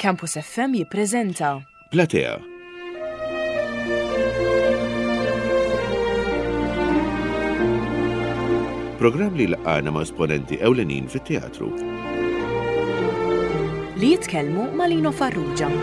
Campus FM jippreżenta. Platea. Programm li laqgħana ma' esponenti ewlenin fit-teatru. Li jitkellmu ma' Lino Farrugia.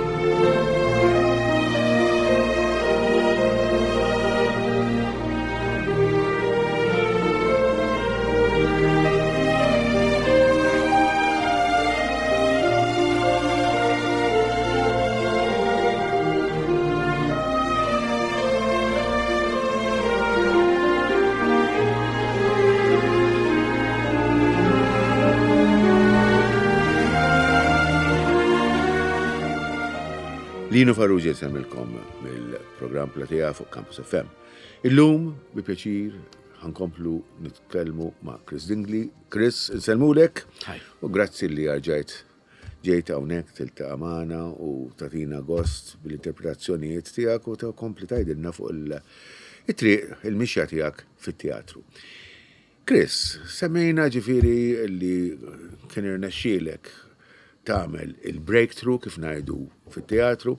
Lino Farrugia jsemmilkom mill-programm Platea fuq Campus FM. Illum, bi pjaċir, ħankomplu nitkellmu ma' Chris Dingli. Chris, insellmulek. U grazzi li rġajt ġejt hawnhekk tiltaqa' magħna u tagħtina gost bil-interpretazzjonijiet tiegħek u tkompli tgħidilna fuq it-triq, il-mixja tiegħek fit-teatru. Chris, semmejna ġifieri li kien irnexxielek tagħmel il-breakthrough kif ngħidu fit-teatru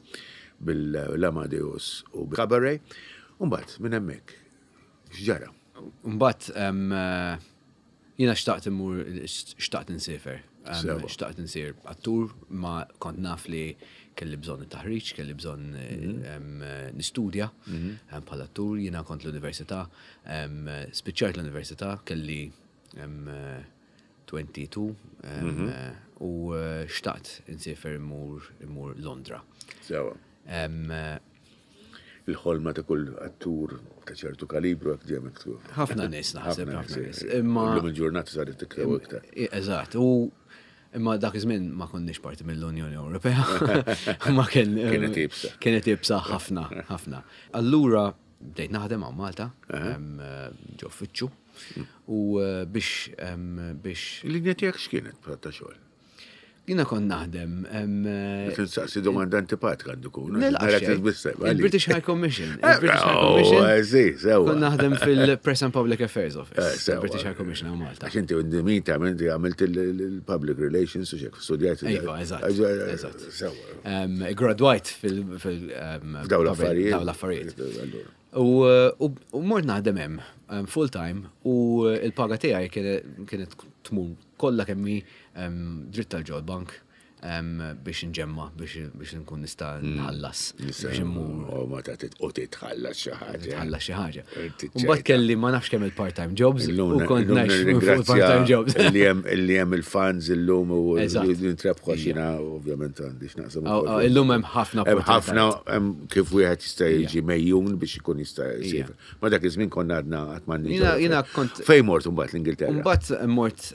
bil-Amadeus u bil-Cabaret. U mbagħad minn hemmhekk x'ġara? Mbagħad jiena xtaqt immur xtaqt insiefer. Xtaqt insir attur ma kont naf li kelli bżonn it-taħriġ, kelli bżonn mhm. nistudja mhm. bħala attur, jiena kont l-università, spiċċajt l-università, kelli 22 mhm. u eh, xtaqt insiefer immur immur Londra. Sewa. Il-ħolma ta' kull attur ta' ċertu kalibru hekk ġej miktub. Ħafna nies naħseb, ħafna nies. Imma llum il-ġurnata saret iktar u iktar. Eżatt, u imma dak iż-żmien ma konniex parti mill-Unjoni Ewropea. Ma kien Kienet iebsa. Kienet iebsa ħafna, ħafna. Allura bdejt naħdem hawn Malta, ġo uffiċċju, u eh, biex biex Il-linja tiegħek x'kienet ta' xogħol? Jiena kont naħdem. Tinsaqsi domanda antipatika għandu kun. Il-British High Commission. Il-British High oh, Commission. Eh, kont naħdem fil-Press and Public Affairs Office. Eh, British High Commission għal Malta. Għax inti min ta' inti għamilt il-Public Relations u xek, studjajt. Iva, eżatt. Graduajt fil- Daw l-affarijiet. Daw l-affarijiet. U mort naħdem hemm full time u l-paga tiegħi kienet tmur kollha kemm hi dritt tal ġol bank biex nġemma biex nkun nista' hmm. nħallas biex immur. U ma ta' u titħallas xi ħaġa. Titħallas xi ħaġa. Mbagħad kelli ma nafx kemm il-part-time jobs u kont ngħix part-time jobs. Illi hemm il-fans illum u nitrebħu għax jiena ovvjament għandi x'naqsam. Illum hemm ħafna. Hemm ħafna kif wieħed jista' jiġi mejjun biex ikun jista' jsir. Ma dak iż-żmien konna għadna qatt ma Jiena kont. Fejn mort imbagħad l-Ingilterra? Imbagħad mort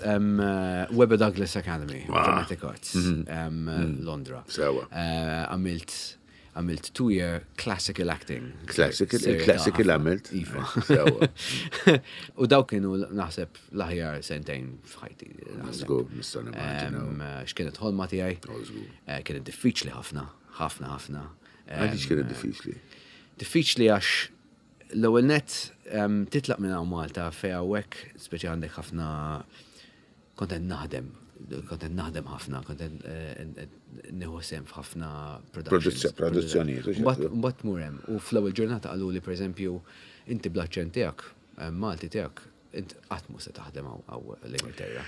Webber Douglas Academy, ah. Dramatic Arts, mhm. mhm. Londra. Sewa. Eh, għamilt għamilt two-year classical acting. Classical, classical għamilt. Iva. U daw kienu naħseb l-aħjar sentejn f'ħajti. Żgur, nista' nimmaġina. X'kienet ħolma tiegħi? Oh, eh, kienet diffiċli ħafna, ħafna, ħafna. Għaliex kienet diffiċli? Diffiċli għax l-ewwel nett titlaq minn hawn Malta fejn hawnhekk speċi għandek ħafna kont qed naħdem, kont qed naħdem ħafna, kont qed eh, nieħu sehem f'ħafna productions. Produzzjonijiet. Mbagħad tmur hemm u fl-ewwel ġurnata qaluli pereżempju inti bl-aċċent tiegħek, Malti tiegħek, Int qatt mhu se taħdem hawn l-Ingilterra.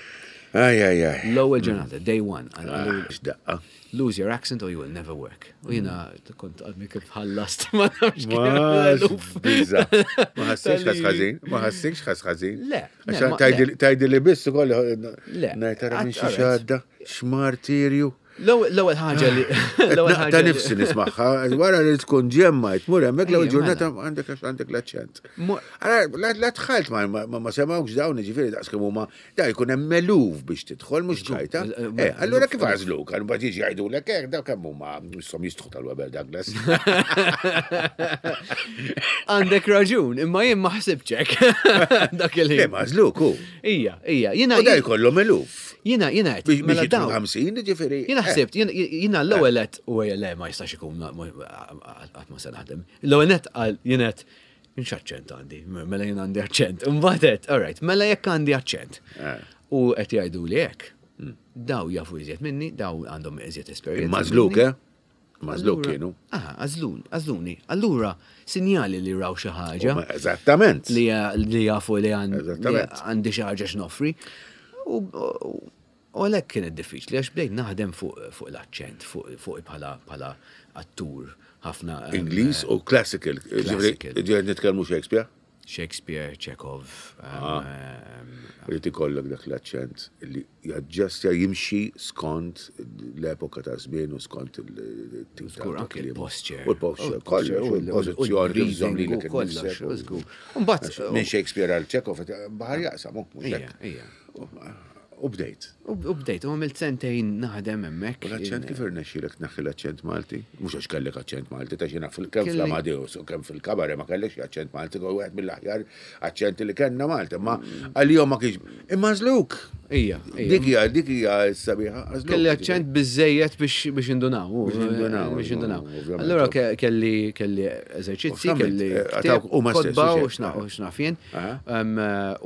Aj, aj, aj. L-ewwel ġurnata, day one. Ah, x'daqqa. Lose your accent or you will never work. U jiena kont għadni kif ħallast ma nafx Bizza. Ma ħassiex ħas ħażin, ma ħassiex ħas ħażin. Le. Tajdi li biss ukoll. Le. Ngħid minn xi xadda, x'martirju. L-ewwel ħaġa li. L-ewwel ħaġa. Ta' nifsi nismagħha, wara li tkun ġemma, tmur hemmhekk l-ewwel ġurnata għandek għax għandek l-aċċent. La dħalt ma semgħux dawn jiġifieri daqs kemm huma da jkun hemm meluf biex tidħol mhux ċajta. Eh, eh, allura kif għażluk? Għal mbagħad jiġi jgħidulek hekk daw kemm huma misshom jistħu tal-Weber Douglas. Għandek raġun, imma jien ma ħsibx hekk. Dak il-ħin. Ma għażluk hu. Ija, ija, jiena. U da jkollhom eluf. Jiena, jiena qed. Mela dawn. 50, ġifieri. Jiena eh. ħsibt, jiena l-ewwel qed u le ma jistax ikun qatt ma se naħdem. L-ewwel nett qal jien qed x'aċċent għandi, mela jien għandi aċċent. Imbagħad qed, all right, mela jekk għandi aċċent. Eh. U qed jgħidu li hekk. Daw jafu iżjed minni, daw għandhom iżjed esperjenza. Mażluk, eh? Mażluk kienu. Ah, għażluni, għażluni. Allura, sinjali li raw xi ħaġa. Eżattament. Li jafu li għandi xi ħaġa x'noffri. U għalhekk kienet diffiċli għax bdejt naħdem fuq l-aċċent, fuq bħala attur ħafna. Ingliż u classical. Ġifieri nitkellmu Shakespeare? Shakespeare, Chekhov. Ah. Rrid ikollok dak l-aċċent li jaġġestja jimxi skont l-epoka ta' żmien u skont il-tip ta' anke il-posture. U l-posture, kollox, u l-pożizzjoni kif żomm lilek kollox. Mbagħad minn Shakespeare għal Chekhov baħar jaqsam, mhux hekk. U bdejt. U bdejt, u għamilt sentejn naħdem hemmhekk. U l-aċċent kif irnexxielek tneħħi l-aċċent Malti? Mhux għax kellek aċċent Malti, ta' xi naf kemm fl-Amadeus u kemm fil-Kabare ma kellekx aċċent Malti, kien wieħed mill-aħjar aċċenti li kellna Malta, ma għalihom ma kienx. Imma għażluk. Ija. Dik hija dik hija s-sabiħa. Kelli aċċent biżejjed biex indunaw. Biex indunaw. Biex indunaw. Allura kelli kelli eżerċizzi, kelli eh, u ma stess. U x'naf jien.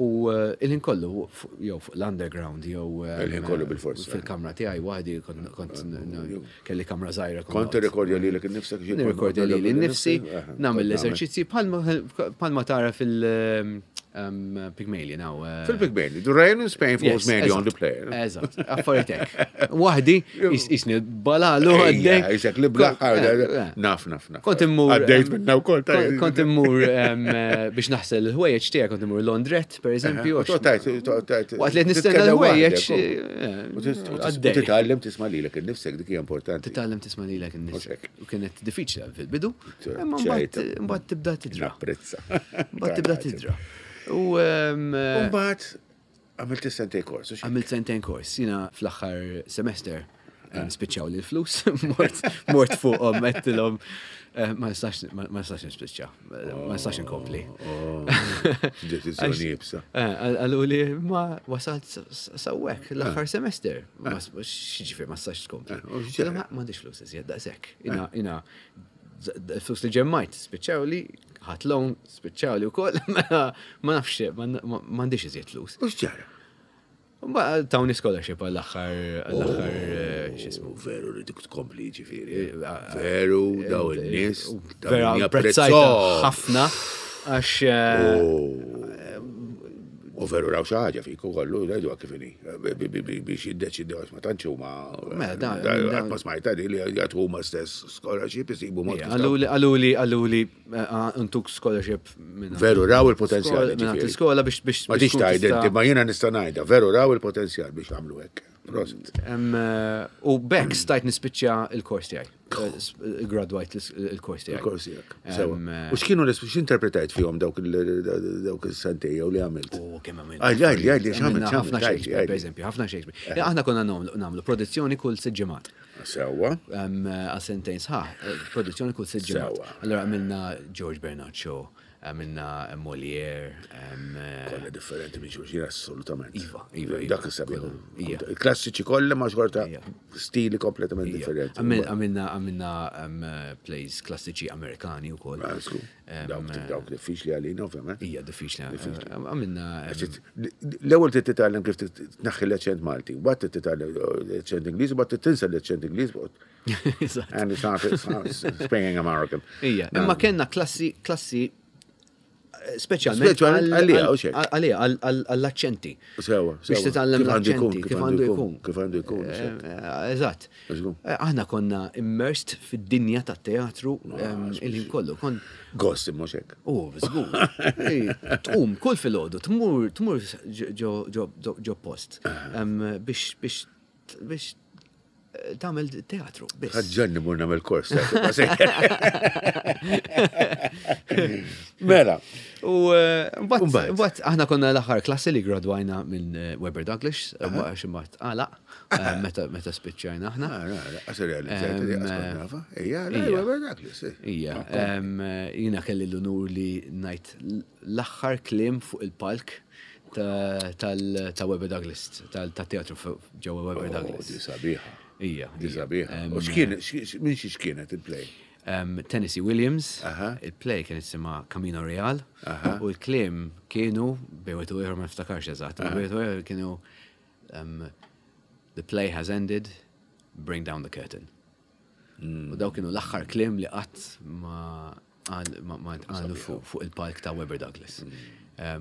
U eh, il-ħin kollu jew fuq l-underground jew Il-ħin kollu bil-forsi. Fil-kamra tiegħi waħdi kont kelli kamra żgħira. Kont tirrekordja lilek innifsek? Nirrekordja lili nnifsi, nagħmel l-eżerċizzji bħalma tara fil- Pygmalion, għaw. Eh, Fil-Pygmalion, the rain in Spain falls mainly on the player. Eżatt, affarijiet hekk. Waħdi, jisni balalu għaddej. Jisek li blaħħar, eh, eh, naf, naf, naf. Kont immur. Għaddejt minna u kol. Kont immur biex naħsel il-ħwejjeġ tiegħek, kont immur Londret, per eżempju. Waqt li nistenna l-ħwejjeġ. Eh, titgħallem tisma' lilek innifsek dik hija importanti. Titgħallem tisma' lilek innifsek. U kienet diffiċli fil-bidu, imma mbagħad tibda tidra. Napprezza. Mbagħad tibda tidra. U eh, mbagħad għamilt sentejn kors. Għamilt sentejn kors, jiena fl-aħħar semester eh. spiċċaw li l-flus, mort fuqhom għedtilhom eh, ma nistax ma nistax nispiċċa, ma nistax inkompli. Oh, oh, deċiżjoni jibsa. Eh, għallu li ma wasalt sawwek l-aħħar semester. X'ġifier ma nistax tkompli. Ma m'għandix flus iżjed daqshekk. Ina flus li ġemmajt spiċċaw li ħadd loan spiċċaw li wkoll ma nafx m'għandix iżjed flus. U x'ġara? Mbagħad tawni scholarship għall-aħħar għall-aħħar oh, x'ismu. Veru li dik tkompli ġifieri. Eh, eh, veru daw eh, in-nies. Vera apprezzajta ħafna għax. Oh. U veru raw xi ħaġa fik ukoll jgħidu kif inhi biex jiddeċidew għax ma tantx huma. Mela dan ma smajta di li jagħtu huma stess scholarship isibu mod. Għaluli għaluli għaluli ntuk scholarship minn. Veru raw il-potenzjal. Minn iskola biex biex. Ma tix tgħid inti, ma jiena nista' ngħidha, veru raw il-potenzjal biex għamlu hekk. Prosit. Eh, u bekk stajt nispiċċa il-kors tiegħi. Eh, gradwajt il-kors tiegħi. Il-kors tiegħek. Eh, u x'kienu x'interpretajt fihom dawk il-sentej jew li għamilt? U kemm għamilt. Għajli, għajli, għajli, x'għamilt? Ħafna Shakespeare, per eżempju, ħafna Shakespeare. Aħna konna nagħmlu produzzjoni kull sitt ġimgħat. Sewwa. Għal sentejn sħaħ, eh, produzzjoni kull sitt ġimgħat. Allura għamilna George Bernard Shaw, għamilna Molière. Eh, kollha differenti minn xulxin assolutament. Iva, iva. iva. Dak is-sabiħ. Il-klassiċi kollha ma xorta stili kompletament differenti. Għamilna għamilna plays klassiċi Amerikani wkoll. Ah, Dawk dawk diffiċli għalina, ovvjament. Hija diffiċli. Għamilna. L-ewwel trid titgħallem kif tneħħi l-aċċent Malti, mbagħad trid titgħallem l-aċċent Ingliż, mbagħad tinsa l-aċċent Ingliż. And it's not speaking American. Ija, imma kellna klassi klassi speċjalment għalija, għalija, għall-aċċenti. Sewa, biex titgħallem l-aċċenti, kif għandu jkun. Kif għandu jkun. Eh, eh, eżatt. Eh, aħna konna immersed fid-dinja tat-teatru ehm, il-ħin kollu. Kon Gost imma xek. U, żgur. Tqum kull filgħodu, tmur tmur ġo post ehm, biex biex biex tagħmel teatru biss. Ħaġġanni mur nagħmel kors. Mela. U eh, mbagħad aħna konna l-aħħar klassi li gradwajna minn eh, Weber Douglas, għax imbagħad għalaq eh, meta spiċċajna aħna. Qasir realizzajt Ejja, Weber Douglas. Ija, jiena kelli l-unur li ngħid l-aħħar kliem fuq il-palk ta' Webber Douglas, ta' teatru ġewwa Webber oh, Douglas. Di sabiħa. Ija. Di sabiħa. U x'kien, minn xi x'kienet il-play? Tennessee Williams, il-play kien jisimha Camino Real, u l-kliem kienu, bejwet u ieħor ma niftakarx eżatt, bejwet u ieħor kienu The play has ended, bring down the curtain. U daw kienu l-aħħar kliem li qatt ma qalu fuq il-palk ta' Webber Douglas.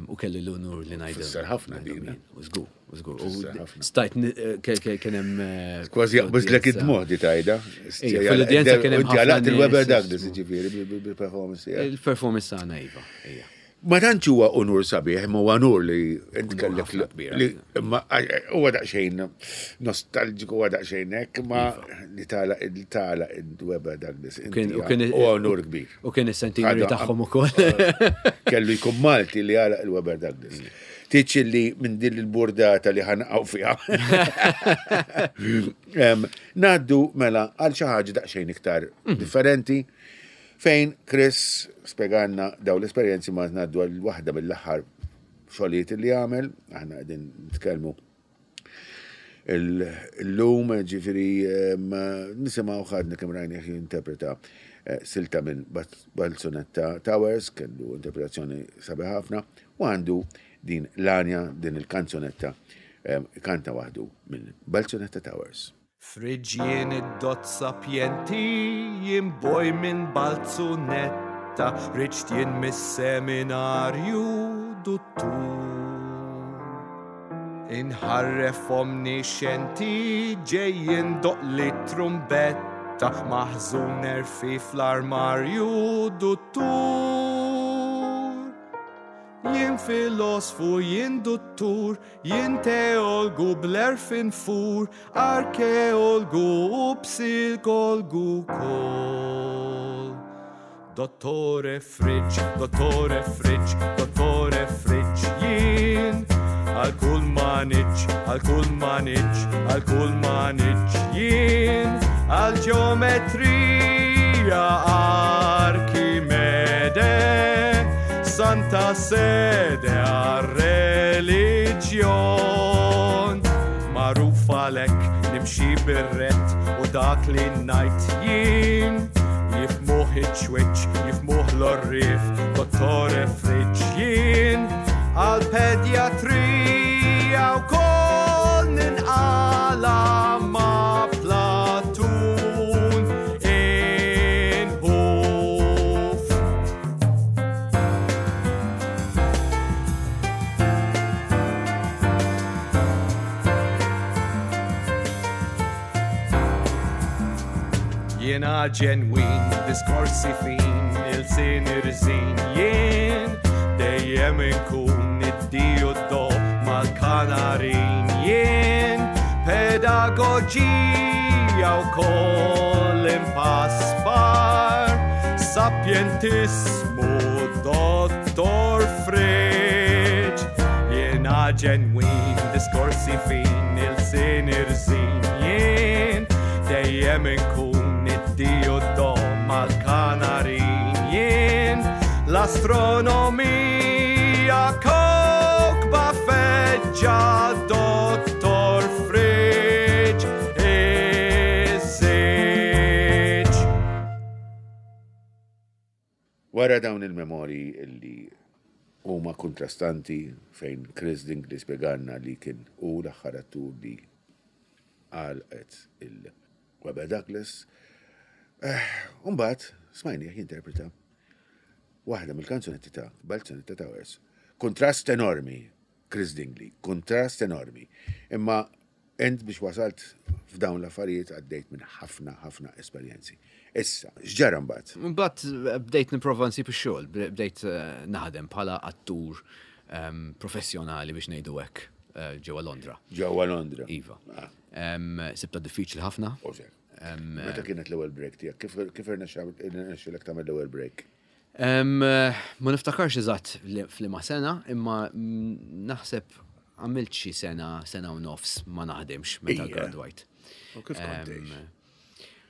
U kelli l-unur li ngħidu. Fisser ħafna din. Eh? U żgur, u żgur. Stajt eh, kien hemm. Eh, Kważi jaqbiżlek id-dmuħ di tajda. Fl-udjenza kien hemm. Ġalaqt il-Webber Douglas, ġifieri, bil-performance tiegħek. Il-performance tagħna iva, ija. Ma tantx huwa unur sabiħ, imma huwa unur li int kellek li imma huwa daqsxejn nostalġiku huwa daqsxejn hekk, imma iva. li tala li tala id-weba Douglas. Huwa unur kbir. U kien is-sentineri tagħhom ukoll. Kellu jkun Malti li għalaq il-Weber Douglas. Tiċ li minn din il-burdata li ħanqaw fiha. Naddu mela għal xi ħaġa daqsxejn iktar mhm. differenti. Fejn Chris spjegalna dawn l-esperjenzi ma ngħaddu għal waħda mill-aħħar xogħlijiet li għamel, aħna qegħdin nitkellmu illum ġifieri nisimgħu ħadna kemm rajnih jinterpreta eh, silta minn Balzunetta Towers, kellu interpretazzjoni sabiħ ħafna, u għandu din l-anja, din il-kanzunetta kanta waħdu minn Balzunetta Towers. Friġġien id-dott sapjenti jien boj minn Balzunetta riġt jien mis-seminarju duttur. Inħarref omnixxenti ġej jindoqqli t-trumbetta maħżun nerfi fl-armarju duttur. Jien filosfu, jien duttur, jien teolgu bl-għerf infur, arkeolgu u psikolgu wkoll. Dottore Fridge, Dottore Fridge, Dottore Fridge, jien għal kull maniġġ, għal kull maniġġ, għal kull maniġġ, jien għal ġeometrija Arkimede. Santa Sede għar-reliġjon. Magħruf għalhekk nimxi bir-rett u dak li ngħid jien. Jifmuh iċ-ċwiċċ, jifmuh l-għorrief, Dottore Fridge jien. Għall-pedjatrija wkoll ninqala' ma' Platun inħuf. Jiena ġenwin, diskorsi fin, il-sin irżin jien, dejjem inkun id-di u d-do mal-kanarin jien, pedagoġija wkoll impaspar, Sapjentismu Dottor Fridge Jiena ġenwin, diskorsi fin, ilsien irżin jien Dejjem inkun id-di u d-do mal-kanarin jien L-astronomija kowkba feġġa Dottor Fridge Iż-żiġ. Wara dawn il-memorji li huma kuntrastanti fejn Chris Dingley spjegalna li kien hu l-aħħar attur li għalqet il-Webber Douglas, u mbagħad smajnieh jinterpreta waħda mill-kanzunetti ta' Balzunetta Towers. Kuntrast enormi, Chris Dingley, kuntrast enormi. Imma Int biex wasalt f'dawn l-affarijiet għaddejt minn ħafna, ħafna esperjenzi. Issa, x'ġara mbagħad? Mbagħad eh, bdejt nipprova nsib ix-xogħol, bdejt eh, naħdem bħala attur ehm, professjonali biex ngħidu hekk eh, ġewwa Londra. Ġewwa Londra. Iva. Ah. Ehm, sibta diffiċli ħafna. Ehm, Meta kienet l-ewwel break tiegħek? Kif irnexxielek tagħmel l-ewwel break? Ma niftakarx eżatt f'liema sena, imma naħseb għamilt xi sena, sena u nofs ma naħdimx meta gradwajt. U kif kont tgħix?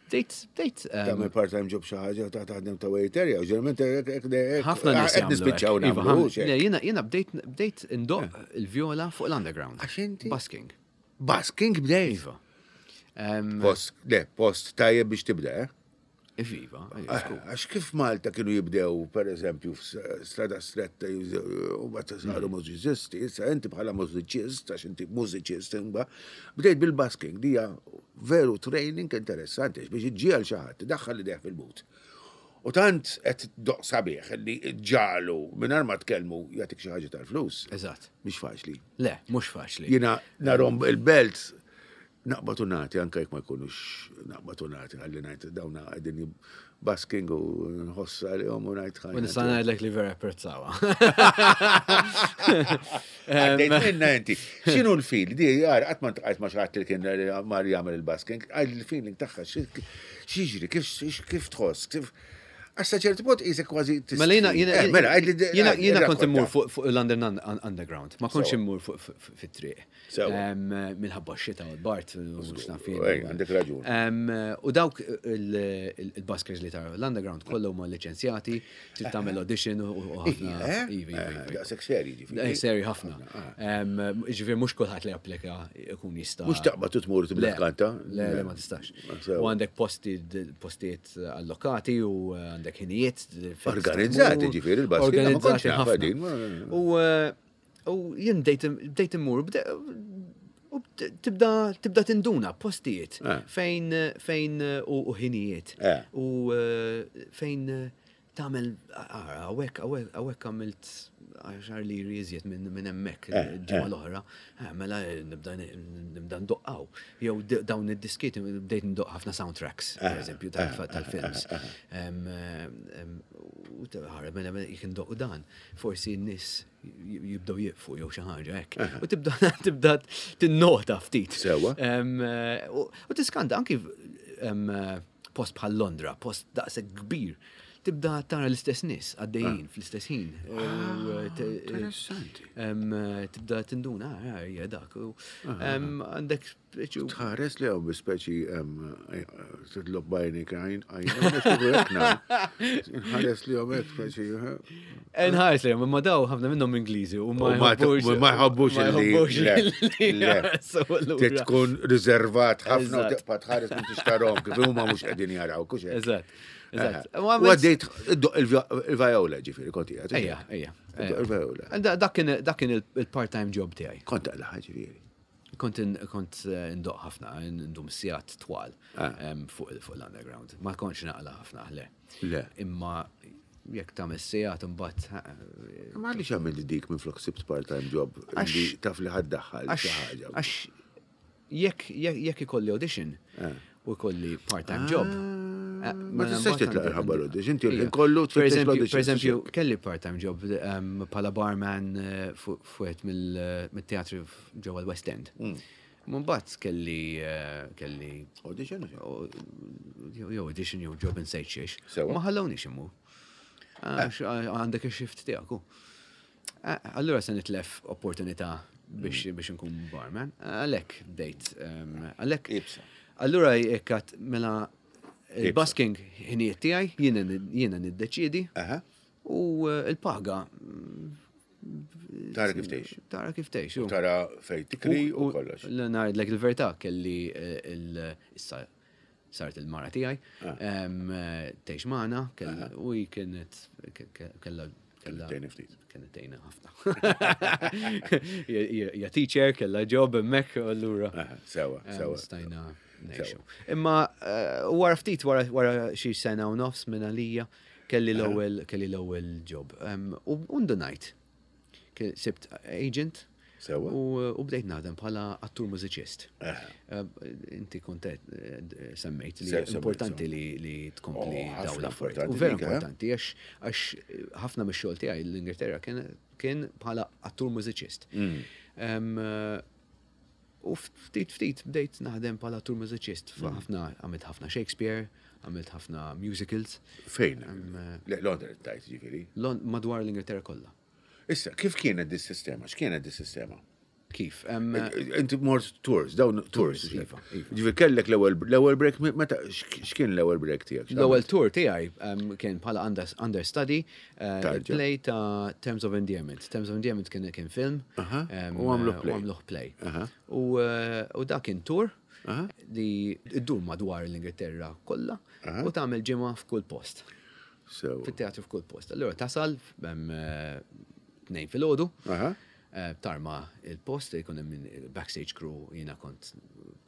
Bdejt, bdejt. Tagħmel part-time job xi ħaġa ta' taħdem ta' waiter jew ġeneralment ħafna nies qed nispiċċaw iva, nagħmlu. Jiena jiena bdejt bdejt indoq eh. il-vjola fuq l-underground. Għax inti? Busking. Busking bdejt? Iva. Post, le, post tajjeb biex tibda, eh? Iva, Għax kif Malta kienu jibdew, per eżempju, strada stretta, u bat saru mużiċisti, issa inti bħala mużiċist, għax inti mużiċist, imba, bdejt bil-basking, dija veru training interessanti, biex iġġiegħel xi ħadd, daħħal idejh fil-but. U tant qed doq sabiħ li ġalu mingħajr ma tkellmu jagħtik xi ħaġa tal-flus. Eżatt. Mhix faċli. Le, mhux faċli. Jiena narhom il-belt naqbad u nagħti anke jekk ma jkunux naqbad u nagħti ħalli ngħid dawna qegħdin basking u nħoss għalihom u ngħid ħajja. U nista' ngħidlek li vera apprezzawha. Għaddejt minna inti. X'inhu l-feel? Di għar qatt ma ntqajt ma xi ħadd li kien mar jagħmel il-basking, għal il-feeling tagħha x'jiġri, kif tħoss, kif Għax sa ċertu punt qisek kważi Mela jiena jiena eh, mela, jiena kont immur fuq London Underground, ma kontx immur fuq fit-triq. Minħabba x-xita u l-bart u x'naf jien. Għandek raġun. U dawk il-buskers li tara l-underground kollu huma liċenzjati, trid tagħmel audition u ħafna. Eh? Iva, iva, iva. Daqshekk seri ġifieri. Eh, seri ħafna. Ah. Ġifieri mhux kulħadd li applika jkun jista'. Mhux taqbad u tmur tibda tkanta. Le, le ma tistax. U għandek posti postijiet allokati u għandek ħinijiet. Organizzati ġifieri il-basket. Organizzati ħafna. U eh, U jien bdejt immur, u tibda tibda tinduna postijiet eh. fejn fejn u ħinijiet eh. u eh, fejn tagħmel hawnhekk hawnhekk għamilt għaxar liri iżjed minn hemmhekk ġimgħa l-oħra, mela nibda nibda ndoqqaw. Jew dawn id-diskiet bdejt ndoqq ħafna soundtracks, pereżempju tal-films. U mela jekk indoqq dan, forsi n-nies jibdew jieqfu jew xi ħaġa hekk. U tibda tibda tinnota ftit. Sewa. U tiskanta anki post bħal Londra, post daqshekk kbir, tibda tara l-istess nies għaddejjin ah. fl-istess ħin. Ah, interessanti. Tibda tinduna, ah, hija dak. Għandek Tħares li għaw bi speċi titlob bajni għajn, għajn, nħares li għaw speċi. Nħares li għaw, ma daw ħafna minnhom Ingliżi u ma jħobbux li. Tkun riservat ħafna u tibqa' tħares minn tixtarhom kif huma mhux qegħdin jaraw kux hekk. Eżatt. U għaddejt il-vajola ġifieri kont qiegħed. Ejja, ejja. Il-vajola. Dak kien il-part-time job tiegħi. Kont taqlaħ ġifieri. Kont kont eh, ndoq ħafna, ndum sigħat twal ah. fuq l-underground. Ma kontx naqla ħafna, le. Le. Imma jekk tagħmel sigħat imbagħad. Eh, Ma għaliex għamil dik minn flok sibt part-time job li taf li ħaddaħħal xi ħaġa. Għax jekk ikolli audition eh. u jkolli part-time job. Ah. Ma tistax titlaq il-ħabba l-audition, inti l kollu tfittex l-audition. Per eżempju, kelli part-time job bħala barman fuq mill-teatri ġewwa l-West End. Mm. Mbagħad kelli eh, kelli audition jew audition jew job in sejt xiex. Ma ħallewniex immur. Eh. Għandek ix-shift tiegħek. Eh, allura se nitlef opportunità biex mm. biex nkun barman. Għalhekk bdejt. Ehm, għalhekk. Allura jekk mela il-basking ħinijiet tiegħi jiena niddeċiedi. U l-paga Tara kif tgħix. Tara kif tgħix. Tara fejn tikri u kollox. Ngħidlek il-verità kelli eh, issa saret il-mara tiegħi ah. eh, tgħix magħna u hi kienet kellha kella tgħinna ftit. Kienet tgħinna ħafna. Ja teacher, kellha job hemmhekk u allura. Sewa, sewa. Stajna ngħixu. Imma eh, wara ftit wara xi sena u nofs minn għalija Kelli l-ewwel kelli l-ewwel job. U ndunajt. Sibt agent. Sewa. U bdejt naħdem bħala attur mużiċist. Inti kont eh, semmejt li importanti li tkompli oh, dawn l-affarijiet. U vera eh? importanti għax għax ħafna mix-xogħol tiegħi l-Ingilterra kien bħala attur mużiċist. Mm. U ftit ftit bdejt naħdem bħala attur mużiċist. Mm. Ħafna għamilt ħafna Shakespeare, għamilt ħafna musicals. Fejn? Le, Londra tajt ġifieri. Madwar l-Ingilterra kollha. Issa, kif kienet dis-sistema? X'kienet dis-sistema? Kif? Inti mort tours, dawn tours. Iva, iva. Ġifieri kellek l-ewwel break, meta x'kien l-ewwel break tiegħek? L-ewwel tour tiegħi kien bħala understudy eh, play ta' Terms of Endearment. Terms of Endearment kien kien film. U għamluh play. U għamluh play. U eh, dak kien tour. Li ddur madwar l-Ingilterra kollha u tagħmel ġimgħa f'kull post. Fit-teatru f'kull post. Allura tasal 2 filgħodu. Tarma il-post, jkun hemm backstage crew, jiena kont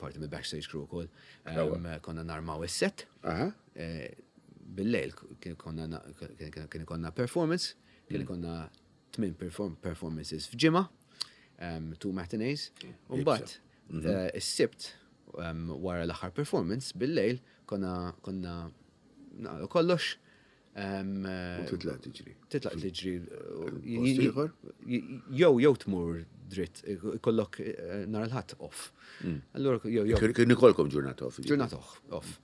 parti mill backstage crew ukoll. Konna narmaw is-set. Bil-lejl kien konna performance, kien konna 8 performances f'ġimgħa, 2 matinees. U mbagħad is-Sibt wara l-aħħar performance bil-lejl konna naqgħu kollox. U titlaq tiġri. Titlaq tiġri. Post ieħor? Jew tmur dritt, ikollok nhar il-Ħadd off. Allura jew. Kien ikolkom ġurnata off, jiġifieri. Ġurnata off.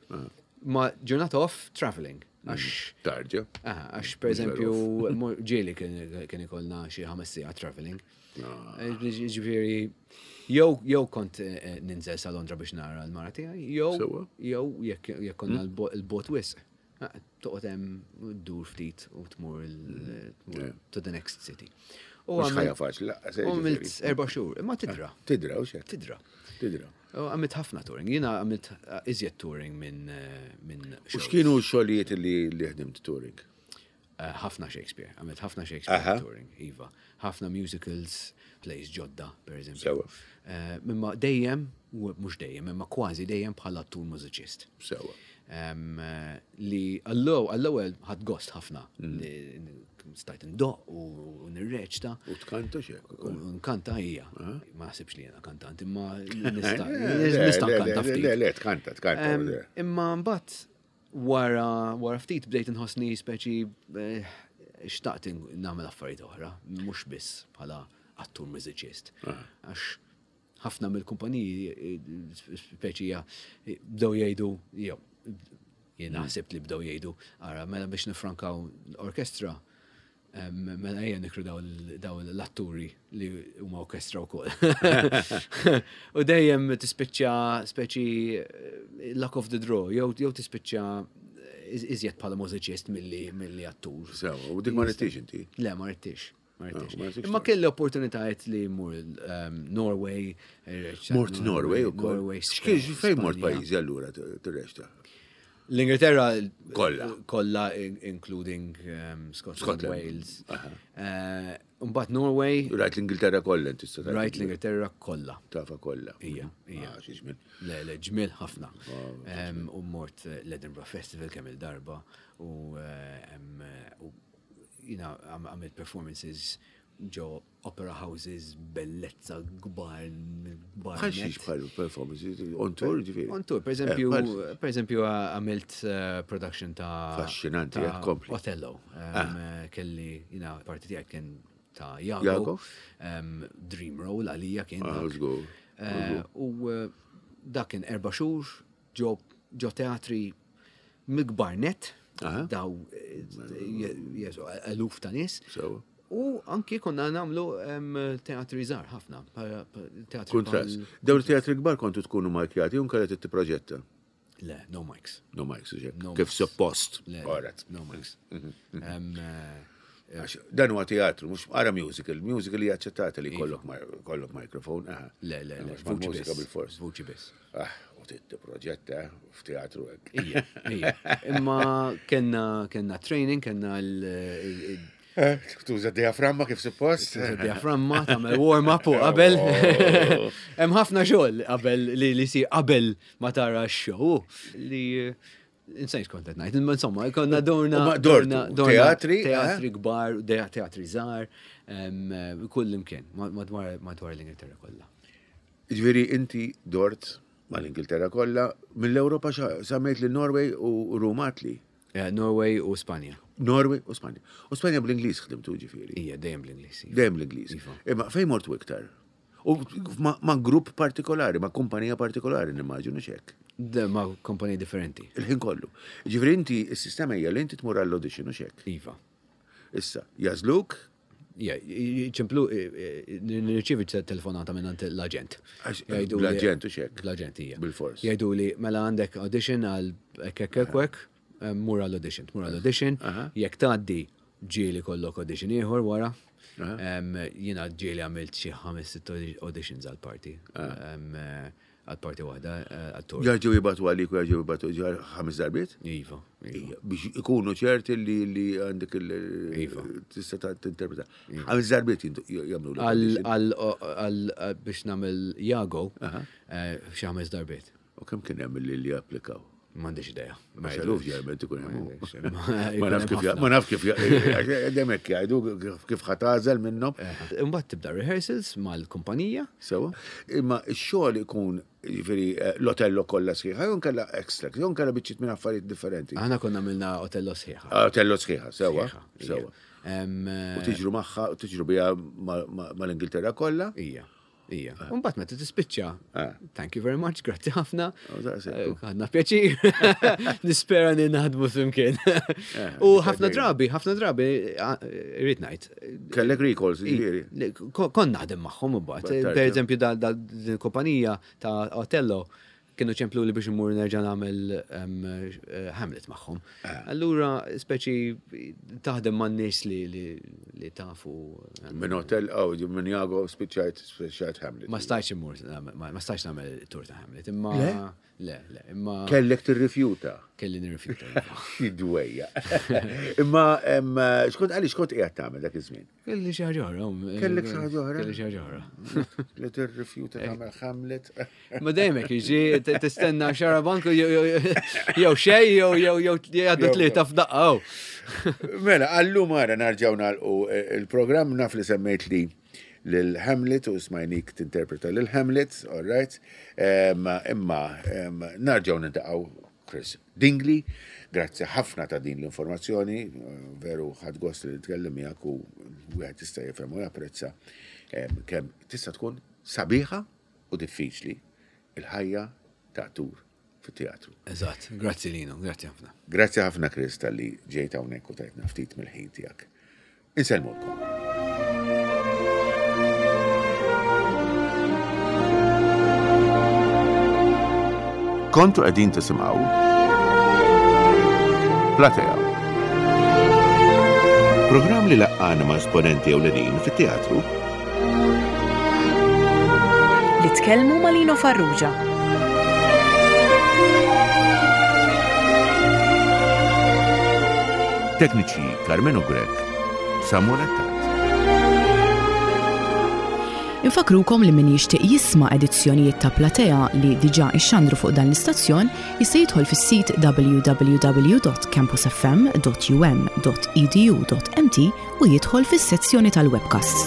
Ma ġurnata off traveling. Għax Tarġa. Aha, għax per eżempju, ġieli kien ikollna xi 5 sigħat traveling. Ġifieri, jew kont ninżel sa Londra biex nara l-mara tiegħi, jew jekk konna l-bot wisq. Toqgħod hemm ddur ftit u tmur to the next city. U Mhux ħajja faċli, laqas, għamilt ġifieri. 4 xhur, imma tidra. Tidra, u xejn. Tidra. Tidra. U għamilt ħafna touring. Jiena għamilt iżjed touring minn U shows. x'kienu x-xogħlijiet li ħdimt touring? Ħafna Shakespeare. Għamilt ħafna Shakespeare touring, iva. Ħafna musicals, plays ġodda, per eżempju. Imma dejjem, u mhux dejjem, imma kważi dejjem bħala attur mużiċist. Li għall-ewwel ħadd gost ħafna li stajt ndoq u nirreċta. U tkanta x'hekk ukoll. U nkanta hija. Ma naħsibx li jiena kantant, imma nista' nkanta ftit. Le, le, tkanta, tkanta, le. Imma mbagħad wara ftit bdejt inħossni speċi xtaqt nagħmel affarijiet oħra, mhux biss bħala attur mużiċist. Għax ħafna mill-kumpaniji speċi bdew jgħidu, jew jien naħseb li bdew jgħidu, ara, mela biex nifrankaw l-orkestra, mela ejja nikru daw l-atturi li huma orkestra wkoll. U dejjem tispiċċa speċi luck of the draw, jew tispiċċa iżjed bħala mużiċist milli attur. Sewa, u dik ma rridtix inti? Le, ma rridtix. Ma rridtix. Ma rridtix Imma tgħid. kelli opportunitajiet li mmur Norway, Mort Norway ukoll. Norway, X'kien, fejn mort Spanja. pajjiżi allura tirrexta? L-Ingilterra Kollha. kollha including Scotland, Scotland. Wales. Mbagħad Norway. Rajt l-Ingilterra kollha inti tista' tgħid. Rajt l-Ingilterra kollha. Tafa kollha. Ija, ija. Ah, xi ġmiel. Le, le, ġmiel ħafna. U mort l-Edinburgh Festival kemm il-darba u jina għamilt performances ġo opera houses, bellezza kbar, kbar Bħal xiex net. bħal performances, on tour ġifieri. On tour, per eżempju, per eżempju, għamilt production ta' Affaxxinanti, ta' kompli. Othello. Kelli, jina, parti tiegħek kien ta' Iago. Iago? Dream role għalija kien Ah, dak. żgur, żgur. U dak kien 4 xhur ġo teatri mill-kbar net, daw jesu, eluf ta' nies. Sewa. U anki konna nagħmlu teatri żgħar ħafna, teatri Kuntrast. bħal Dawn it-teatri kbar kontu tkunu markjati u nkella titproġetta? Le, no mics. No mics, ġek. No Kif mics. suppost. Le, All right. no mics. Għax dan huwa teatru, mhux ara musical. Musical hija aċċettata li kollok mikrofon. Aha. Le, le, le, Għax vuċi mal-mużika biss. bil-fors. Vuċi biss. Ah, u titproġetta f'teatru hekk. Ija, ija. Imma kenna training, kenna l- Tuża diaframma kif suppost? Tuża diaframma, tagħmel warm-up u qabel. Oh. Hemm ħafna xogħol qabel li jsir qabel ma tara x-show li insejt kont qed ngħid, imma insomma, konna dorna, U ma dortu, dorna teatri, eh? teatri kbar, teatri żgħar, kull imkien, madwar l-Ingilterra kollha. Ġifieri inti dort mal-Ingilterra kollha, mill-Ewropa semmejt li Norway u Rumatli. Norway u Spanja. Norway u Spanja. U Spanja bl-Ingliż ħdimtu ġifieri. Ija, dejjem bl-Ingliż, iva. Dejjem bl-Ingliż. Iva. Imma fejn mortu iktar? U ma' grupp partikolari, ma' kumpanija partikolari, nimmaġinu x'hekk. De, ma' kumpanija differenti. Il-ħin kollu. Ġifieri inti, is-sistema hija li inti tmur għall-audition u x'hekk. Iva. Issa, jażluk? Ja, ċemplu, nirċievi telefonata minn għand l-aġent. Għax, Jgħidu li l-aġent u x'hekk. L-aġent hija. Bil-fors. Jgħidu li mela għandek audition għal hekk, hekk, hekk, hekk, mur għall-audition, tmur għall-audition, jekk tgħaddi ġieli kollok audition ieħor wara. Jiena ġieli għamilt xi 5-6 auditions għall-parti. għal parti waħda eh, għal-tur. Jarġgħu jibgħatu għalik u jarġgħu jibgħatu ħames darbiet? Iva. Iva. Biex ikunu ċerti li li għandek il Iva. tista' tinterpreta. Iva. Ħames darbiet jagħmlu. Għal biex nagħmel Jago eh, xi ħames darbiet. U kemm kien hemm li li applikaw? M'għandix idea. Ma xaluf ġerment ikun hemm. Ma naf kif ma naf kif demek jgħidu kif ħatażel minnhom. Eh, imbagħad tibda rehearsals mal-kumpanija. Sewa. Imma x-xogħol ikun jiġifieri eh, l-Otello kollha sħiħa, jew nkella extract, jew nkella biċċiet minn affarijiet differenti. Aħna konna għamilna Otello sħiħa. Ah, Otello sħiħa, sewa. Sewa. U tiġru magħha, tiġru biha mal-Ingilterra kollha. Ija. Ija. Ah. Mbagħad meta tispiċċa. Ah. Thank you very much, grazzi ħafna. Oh, eh, ħadna pjaċir. Nispera li naħdmu flimkien. Eh, U ħafna drabi, ħafna drabi, eh, irrid ngħid. Kellek recalls, ġifieri. Kon naħdem magħhom imbagħad. Per eżempju, dal-kumpanija ta' Otello kienu ċemplu li biex immur nerġa' nagħmel eh, Hamlet magħhom. Eh. Allura speċi taħdem man nies li li tafu. Minn hotel oh, minn Jago spiċċajt spiċċajt Hamlet. Ma stajtx immur ma stajtx nagħmel tur ta' Hamlet, imma le, le, imma Kellek tirrifjuta. Kelli nirrifjuta. Iva. Idwejja. Imma xkont għaliex kont qiegħed tagħmel dak iż-żmien? Kelli xi ħaġa oħra. Kellek xi ħaġa oħra? Kelli xi ħaġa oħra. Li tirrifjuta tagħmel Hamlet. Ma dejjem hekk jiġi tistenna xarabank jew xejn jew jew jew jgħaddu tlieta f'daqqa. Oh. Mela, għallum ara narġgħu nagħlqu eh, il-programm naf li semmejt li lil Hamlet u smajnik tinterpreta lil Hamlet, all right. Imma narġgħu nintaqgħu Chris Dingli, grazzi ħafna ta' din l-informazzjoni, veru ħadt gost li nitkellem miegħek u wieħed jista' jifhem u japprezza kemm tista' tkun sabiħa u diffiċli il-ħajja ta' attur fit-teatru. Eżatt, grazzi Lino, grazzi ħafna. Grazzi ħafna Chris talli ġejt hawnhekk u tajtna ftit mill-ħin tiegħek. Insellmulkom. Kontu qegħdin tisimgħu Platea. Programm li laqqana ma' esponenti ewlenin fit-teatru. Li tkellmu ma' Lino Farrugia. Tekniċi Karmenu Grech, Samuel Attard. Infakrukom li min jixtieq jisma' edizzjonijiet ta' Platea li diġà ixxandru fuq dan l-istazzjon jista' jidħol fis-sit www.campusfm.um.edu.mt u jidħol fis-sezzjoni tal-webcasts.